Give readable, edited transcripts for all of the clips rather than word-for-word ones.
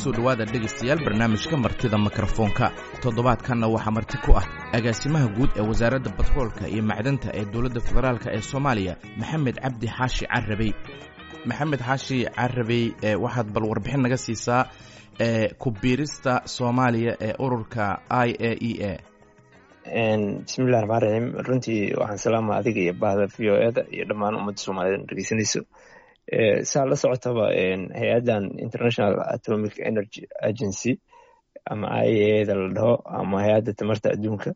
Kusoo dhowaada, dhegaystayaal, barnaamijka Martida Mikrofoonka. Toddobaadkanna waxaa marti ku ah agaasimaha guud ee Wasaaradda Batroolka iyo Macdanta ee Dowladda Federaalk ee Soomaaliya, Maxamed Cabdi Xaashi Carabey. Maxamed Xaashi Carabey, waxaad bal warbixin naga siisaa ku biirista Soomaaliya ee ururka IAEA. Bismillahi raxmaan raxiim. Runtii waxaan salaama adiga iyo bahda VOA da iyo dhammaan ummadda Soomaaliyed dhegeysanayso. Saa la socotaba, hay-addan International Atomic Energy Agency ama IAEA da la dhaho ama Hay-adda Tamarta Adduunka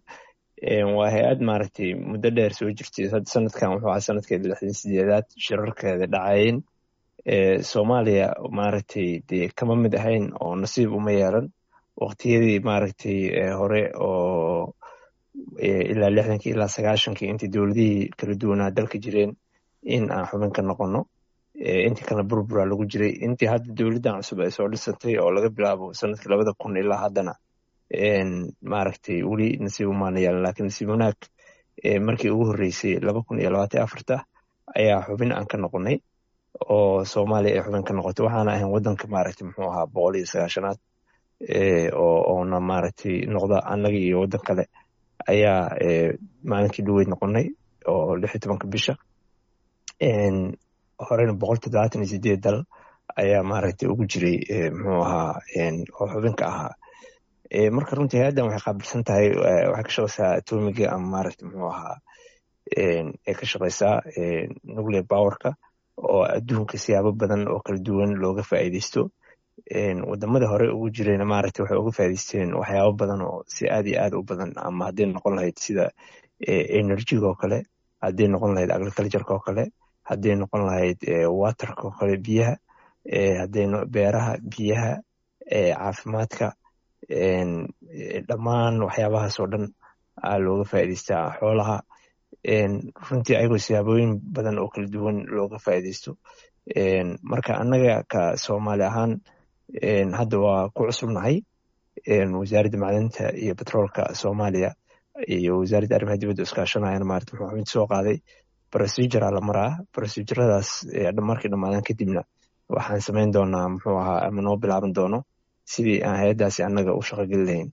waa hay-ad maaragtay muddo dheer soo jirtay. Hadda sanadkan wuxuu ahaa sanadkeeda 68aad shirarkeeda dhacayeen. Soomaaliya maaragtay dee kama mid ahayn oo nasiib uma yeelan waqtiyadii maaragtay hore oo ilaa 60kii ilaa 90kii, intii dowladihii kala duwanaa dalka jireen, in aan xubin ka noqono. Intii kalena burbura lagu jiray. Intii hadda dowladdan cusub ay soo dhisantay oo laga bilaabo sanadkii 2000 ilaa haddana, maaragtay, weli nasiib umaana yeelan. Lakiin nasiib wanaag, markii ugu horreysay 2024 ayaa xubin aan ka noqonay oo Soomaaliya ay xubin ka noqotay. Waxaana ahayn waddanka, maaragtay, muxuu ahaa, 190aad oona maaragtay noqda. Annaga iyo waddan kale ayaa maalinkii dhaweyd noqonay oo 16-ka bisha. Horena 178 dal ayaa maaragtay ugu jiray, muxuu ahaa, oo xubinka ahaa. Marka runtii hay-addan waxay qaabilsan tahay, waxay ka shaqeysaa atomiga ama, maaragtay, muxuu ahaa, ay ka shaqeysaa nuclear powerka oo adduunka siyaabo badan oo kala duwan looga faa'iideysto. Wadamada hore ugu jirayna, maaragtay, waxay uga faa'iideysteen waxyaabo badan oo si aad iyo aad u badan, ama hadday noqon lahayd sida energyga oo kale, hadday noqon lahayd agricultureka oo kale, hadday noqon lahayd waterka oo kale, biyaha, hadday beeraha, biyaha, caafimaadka, dhammaan waxyaabahaas oo dhan aa looga faa'iideystaa, xoolaha. Runtii ayagoo siyaabooyin badan oo kala duwan looga faa'iideysto. Marka annaga ka Soomaali ahaan hadda waa ku cusubnahay. Wasaaradda Macdanta iyo Batroolka Soomaaliya iyo Wasaaradda Arrimaha Dibadda iskaashanayana, maarata, muxuu mid soo qaaday procedure la maraa. Proceduradaas markay dhamaadaan kadibna waxaan samayn doonaa, muxuu ahaa, ama noo bilaaban doono sidii aan hay-addaasi annaga u shaqogeli lahayn.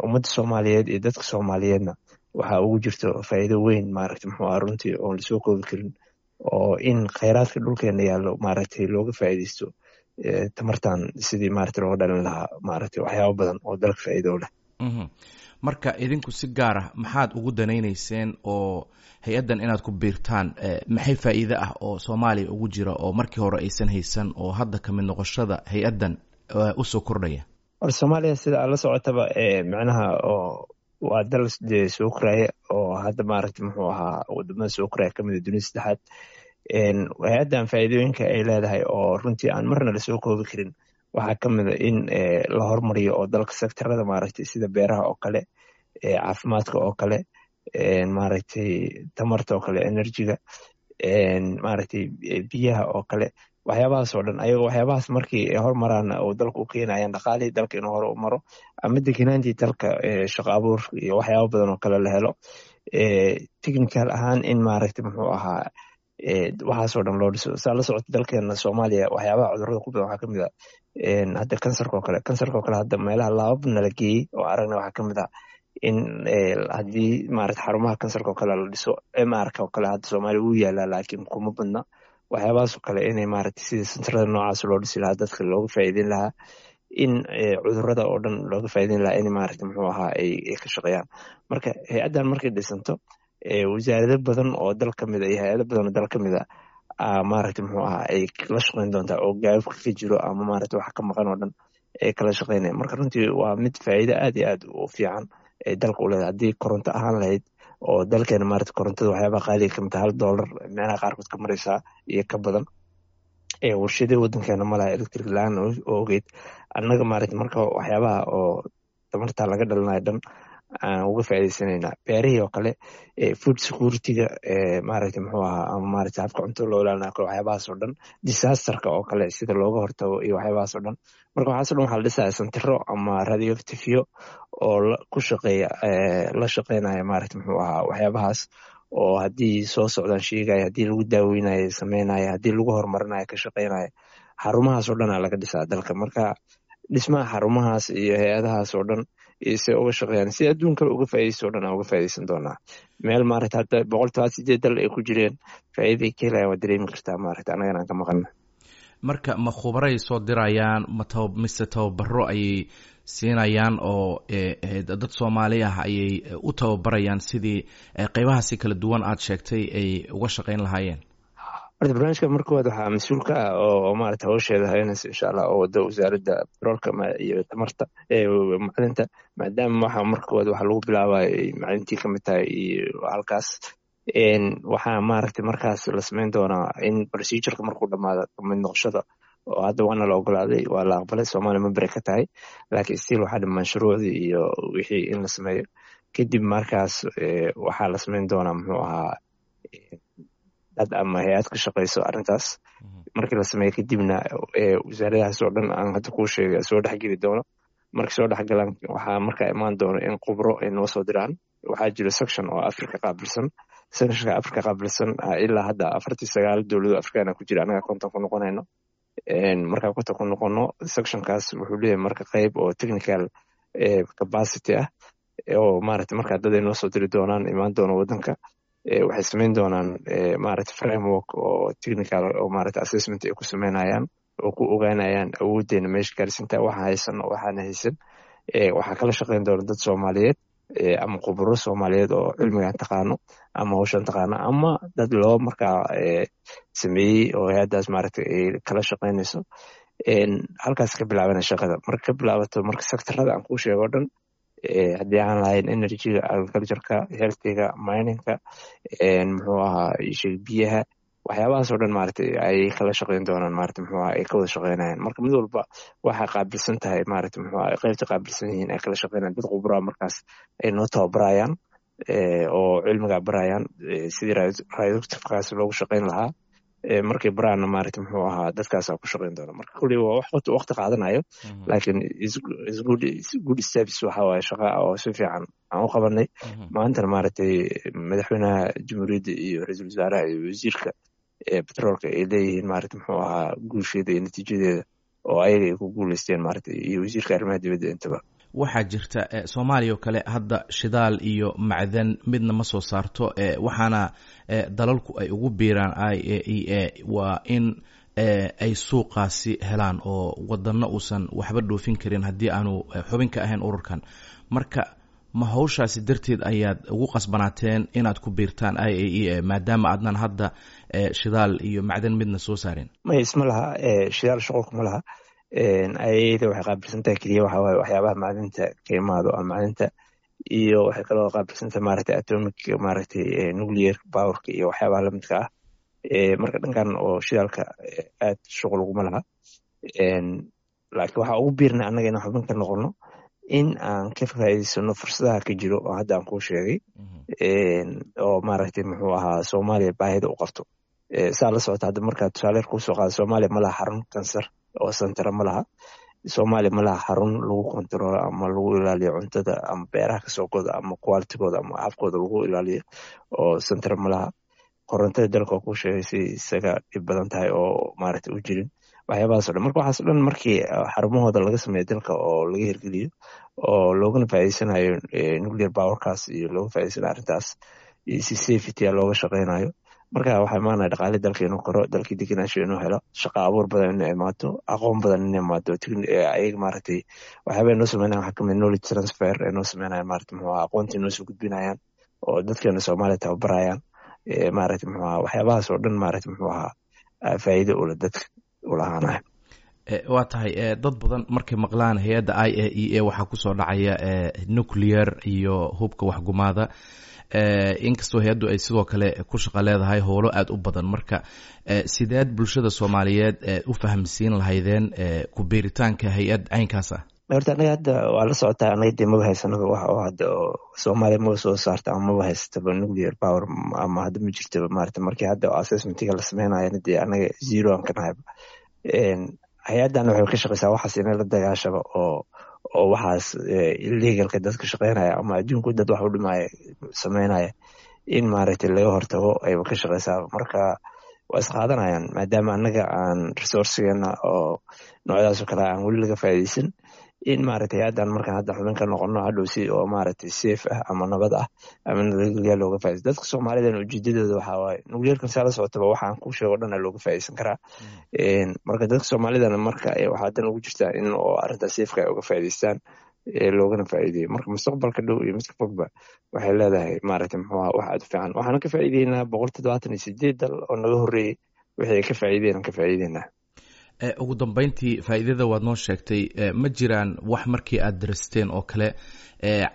Ummadda Soomaaliyeed iyo dadka Soomaaliyeedna waxaa ugu jirto faa'iido weyn, maaragta, muxuu ahaa, runtii oon lasoo koobi karin, oo in kheyraadka dhulkeena yaallo, maaragtay, looga faa'iideysto tamartan sidii, maaragtay, looga dhalin lahaa, maaragtay, waxyaabo badan oo dalka faa'iido leh. Marka idinku si gaar ah maxaad ugu danaynayseen oo hay-addan inaad ku biirtaan? Maxay faa'iide ah oo Soomaaliya ugu jira oo markii hore aysan haysan oo hadda kamid noqoshada hay-addan usoo kordhaya? Or Soomaaliya, sida aad la socotaba, macnaha oo waa dal dee soo koraya oo hadda, maaragtay, muxuu ahaa, wadamada soo koraya kamid a, dunida saddexaad. Hay-addan faa'iidooyinka ay leedahay oo runtii aan marna lasoo koobi karin waxaa ka mid a in la hormariyo oo dalka sectorada, maaragtay, sida beeraha oo kale, caafimaadka oo kale, maaragtay, tamarta oo kale, energyga, maaragtay, biyaha oo kale, waxyaabahaas oo dhan. Ayagoo waxyaabahaas markii ay hormaraan oo dalka u keenayaan dhaqaalihii dalka inuu hore u maro ama degenaantii dalka, shaqo abuur iyo waxyaaba badan oo kale la helo, technical ahaan in, maaragtay, muxuu ahaa, waxaasoo dhan loo dhiso. Saa la socota, dalkeena Soomaaliya waxyaabaha cudurrada ku badan waxaa kamid a hadda kansarka oo kale. Kansarka oo kale hadda meelaha laabab nala geeyey oo aragna waxaa kamid ah in haddii, maarata, xarumaha kansarka oo kale la dhiso, MR-ka oo kale hadda Soomaaliya wuu yaalaa laakiin kuma badna. Waxyaabahaas oo kale inay, maaragtay, sida sentarada noocaas loo dhisi lahaa, dadka looga faa'iideyn lahaa, in cudurrada oo dhan looga faa'iideyn lahaa, in, maaragtay, muxuu ahaa, ay ka shaqeeyaan. Marka hay-addan markay dhisanto, wasaarado badan oo dal ka mid a iyo hay-ado badan oo dal ka mid a, maaragtay, muxuu ahaa, ay la shaqeyn doontaa oo gaababka ka jiro ama, maaragtay, wax ka maqan oo dhan ay kala shaqeynaya. Marka runtii waa mid faa'iido aad iyo aad u fiican ay dalka u leedahay. Haddii koronto ahaan lahayd oo dalkeena, maarata, korontada waxyaabaha qaaliga kamid taha, $1 meelaha qaarkood ka mareysaa iyo ka badan. Warshadii wadankeena malaha electric la-aan oo ogeyd annaga, maaragta. Marka waxyaabaha oo tamarta laga dhalinayo dhan aan uga faa'iideysanayna, beerihii oo kale, food security-ga, maaragta, muxuu ahaa, ama, maaragta, habka cuntada loo ilaalinayo kale, waxyaabahaas oo dhan, disasterka oo kale sida looga hortago iyo waxyaabahaas oo dhan. Marka waxaas o dhan waxaa la dhisaya sentiro ama radioactiveyo oo ku shaqeeya, la shaqeynaya, maaragta, muxuu ahaa, waxyaabahaas oo haddii soo socdaan sheegaya, haddii lagu daaweynayo sameynaya, haddii lagu horumarinayo ka shaqeynaya. Xarumahaas oo dhan aa laga dhisaa dalka. Marka Dhismaha xarumahaas iyo hay-adahaas oo dhan iyo se uga shaqeeyaan, si adduunkaba uga faaideysto o dhan aan uga faa'ideysan doonaa. Meel maaragta hadda 178 dal ay ku jireen, faa'iiday ka helayan waa dareemi kartaa, maaragta annagana aan ka maqalna. Marka ma khubaray soo dirayaan, ma taba mise tababaro ayay siinayaan oo dad Soomaali ah ayay u tababarayaan sidii qeybahaasi kala duwan aada sheegtay ay uga shaqeyn lahaayeen? Horta barnaamijka marka koowaad waxaa mas-uul ka ah oo maarata hawsheeda haynaysa, insha Allah, oo wada wasaaradda batroolka iyo tamarta, macdinta, maadaama waxa marka koowaad waxa lagu bilaabayo ay macdintii kamid tahay. Iyo halkaas waxaa maaragtay markaas la sameyn doonaa in procedureka markuu dhamaado kamid noqoshada, oo hadda waana la ogolaaday, waa la aqbalay, Soomaaliya member ka tahay, laakiin still waxaa dhiman shuruucdii iyo wixii in la sameeyo. Kadib markaas waxaa la sameyn doonaa, muxuu ahaa, dad ama hay-ad ka shaqeyso arrintaas. Markii la sameeyo kadibna wasaaradahaas oo dhan aan hadda kuu sheegay soo dhexgeli doono. Markay soo dhexgalaan, waxaa markaa imaan doono in khubro ay noo soo diraan. Waxaa jiro section oo Africa qaabilsan. Sectionka Africa qaabilsan ilaa hadda 49 dowlado Afrikaana ku jira, annaga 50 ku noqonayno. Markaa 50 ku noqono, sectionkaas wuxuu leeyahay marka qeyb oo technical capacity ah oo maaragta markaa dad ay noo soo diri doonaan, imaan doono waddanka. Waxay sameyn doonaan maaragta framework oo technical oo maaragta assessment ay ku sameynayaan oo ku ogaanayaan awooddeena meesha gaarsinta, waxa haysan oo waxaana haysan. Waxaa kala shaqeyn doona dad Soomaaliyeed ama khuburo Soomaaliyeed oo cilmigan taqaano ama hawshan taqaano, ama dad loo markaa sameeyey oo hay-addaas maaragta ay kala shaqeynayso. Halkaas ka bilaabana shaqada. Marka ka bilaabato, marka sectorada aan kuu sheego o dhan, haddii aan lahayn energyga, agricultureka, healthiga, miningka, muxuu ahaa, isheeg, biyaha, waxyaabahaas oo dhan maaragtay ay kala shaqeyn doonaan, maarata muxuu ahaa, ay ka wada shaqeynayaan. Marka mid walba waxay qaabilsan tahay, maarata muxuu ahaa, qaybta qaabilsan yihiin ay kala shaqeynayaan. Dad khubraa markaas ay noo tababarayaan oo cilmigaa barayaan sidii radioactivekaas loogu shaqeyn lahaa. Markay baraana, maarata muxuu ahaa, dadkaasaa ku shaqeyn doona. Marka kulli waa wax waqti qaadanayo, laakiin is good steps. Waxa waaye shaqa oo si fiican aan u qabanay. Maantana maaragtay madaxweynaha jamhuuriyadda iyo ra-iisul wasaaraha iyo wasiirka betroolka ay leeyihiin, maarata muxuu ahaa, guusheeda iyo natiijadeeda oo ayaga ay ku guuleysteen, maarata, iyo wasiirka arrimaha dibadda intaba. Waxaa jirta Soomaaliya oo kale hadda shidaal iyo macdan midna ma soo saarto, waxaana dalalku ay ugu biiraan IAEA waa in ay suuqaasi helaan, oo wadano uusan waxba dhoofin karin haddii aanu xubin ka ahayn ururkan. Marka ma hawshaasi darteed ayaad ugu qasbanaateen inaad ku biirtaan IAEA, maadaama aadnan hadda shidaal iyo macdan midna soo saarin? May, isma laha. Shidaal shuqulka ma laha. IAEA waxay qaabilsan tahay keliya waxa waaye waxyaabaha macdinta ka imaado ama macdinta, iyo waxay kaloo qaabilsan tahay maaragtay atomic, maaragtay nuclear powerka iyo waxyaabaha lamidka ah. Marka dhankan oo shidaalka aad shuqul uguma laha, laakiin waxaa ugu biirnay annaga inaan xubin ka noqono in aan ka faa'iidaysano fursadaha ka jiro oo hadda aan kuu sheegay, oo maaragtay muxuu ahaa, Soomaaliya baahida u qabto. Saa la socota hadda, markaa tusaale yar kuusoo qaada, Soomaaliya ma laha xarun kansar oo santara ma laha. Soomaaliya ma laha xarun lagu kontaroolo ama lagu ilaaliyo cuntada ama beeraha kasoo goda ama qualitygooda ama habkooda lagu ilaaliyo oo santara ma laha. Korontada dalka oo kuu sheegay si isaga dhib badan tahay oo maaragtay u jirin, waxyaabahaas o dhan. Marka waxaas o dhan markii xarumahooda laga sameeyo dalka oo laga hirgeliyo oo loogana faa'iideysanayo nuclear powerkaas iyo looga faa'ideysanayo arrintaas iyo si safety looga shaqeynayo, marka waxaa imaanaya dhaqaale dalka inuu koro, dalkii degenaansho inuu helo, shaqa abuur badan inay imaato, aqoon badan inay imaato. Ayaga maaragtay waxyaaba ay noo sameynayan waxaa kamid knowledge transfer ay noo sameynayan, maarata muxuu ahaa, aqoontii noo soo gudbinayaan oo dadkeena Soomaaliya tababarayaan, maaragta muxuu ahaa, waxyaabahaas oo dhan, maaragta muxuu ahaa, faa'iido ula dadka ulahaanayo. Waa tahay. Dad badan markay maqlaan hay-adda IAEA waxaa kusoo dhacaya nuclear iyo hubka waxgumaada, inkastoo hay-addu ay sidoo kale ku shaqo leedahay howlo aada u badan. Marka sideed bulshada Soomaaliyeed u fahamsiin lahaydeen ku biiritaanka hay-ad caynkaas ah? Horta anaga hadda waa la socotaa, anaga dee maba haysanaba wax oo hadda oo Soomaaliya maba soo saarta ama maba haysataba nuclear power ama hadda ma jirtaba, maarata. Markii hadda assessmentiga la sameynayana dee anaga zero aan ka nahayba. Hay-addan waxay ka shaqeysaa waxaas inay la dagaashaba oo waxaas illegalka dadka shaqeynaya ama adduunku dad wax u dhimaya sameynaya in maaragtay laga hortago ayba ka shaqeysaa. Marka Waa isqaadanayaan, maadaama annaga aan resourcigeena oo noocyadaas oo kale aan weli laga faa'iideysan, in maaragtay hay-addan markaan hadda xubin ka noqono, hadhow si oo maaragtay safe ah ama nabad ah ama nabadgelya looga faaideysto. Dadka Soomaalidan ujeedadooda waxaa waaye nuclearkan, saa la socotaba, waxaan kuu sheego dhan looga faaideysan karaa. Marka dadka Soomaalidana marka waxaa dan ugu jirtaa in oo arrintaas safeka ay uga faa'ideystaan, loogana faa'iideeyo. Marka mustaqbalka dhow iyo midka fogba waxay leedahay, maaragtay, muxuu aha, wax aad u fiican. Waxaana ka faa'iideynaa 178 dal oo naga horreeyey wixii ay ka faa'iideen ka faa'iideynaa. Ugu dambeyntii, faa'iidada waad noo sheegtay. Ma jiraan wax markii aad daristeen oo kale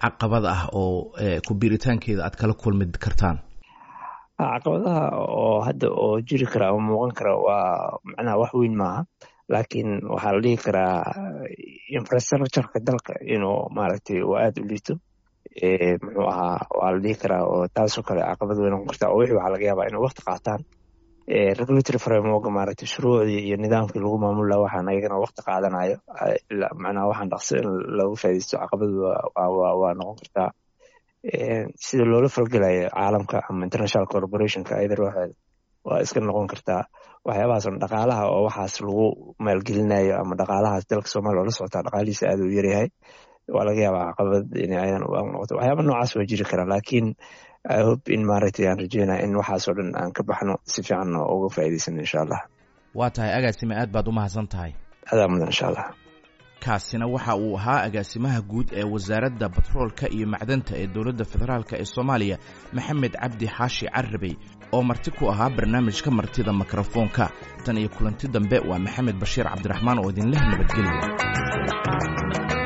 caqabad ah oo ku biiritaankeeda aad kala kulmi kartaan? Caqabadaha oo hadda oo jiri kara ama muuqan kara waa macnaha wax weyn maaha, laakiin waxaa la dhihi karaa infrastructureka dalka inuu maaragtay uu aada u liito, muxuu ahaa, waa la dhihi karaa oo taasoo kale caqabad weyn noqon karta, oo wixii waxaa laga yaabaa inay waqti qaataan. Regulatory framework, maaragtay, shuruucdii iyo nidaamkii lagu maamul lahaa, waxaan ayagana waqti qaadanayo, macnaha waxaan dhaqso in lagu faa'iideysto caqabad waa noqon kartaa. Sida loola falgelayo caalamka ama international corporationka ayada ruuxeeda waa iska noqon kartaa. Waxyaabahaas on dhaqaalaha oo waxaas lagu maalgelinayo ama dhaqaalahaas dalka Soomaaliya oo la socotaa dhaqaalihiisa aada u yaryahay, waa laga yaabaa caqabad in ayadan u noqoto. Waxyaaba noocaas waa jiri karaa, laakiin I hope in, maaragtay, aan rajeynaya in waxaasoo dhan aan ka baxno, si fiicanna uga faa'iideysano, insha Allah. Waa tahay, agaasime, aad baad u mahadsan tahay. Adaa mudan, insha Allah. Kaasina waxa uu ahaa agaasimaha guud ee Wasaaradda Batroolka iyo Macdanta ee Dowladda Federaalk ee Soomaaliya, Maxamed Cabdi Xaashi Carabey, oo marti ku ahaa barnaamijka Martida Mikrofoonka. Tan iyo kulanti dambe, waa Maxamed Bashiir Cabdiraxmaan oo idinleh nabadgelya.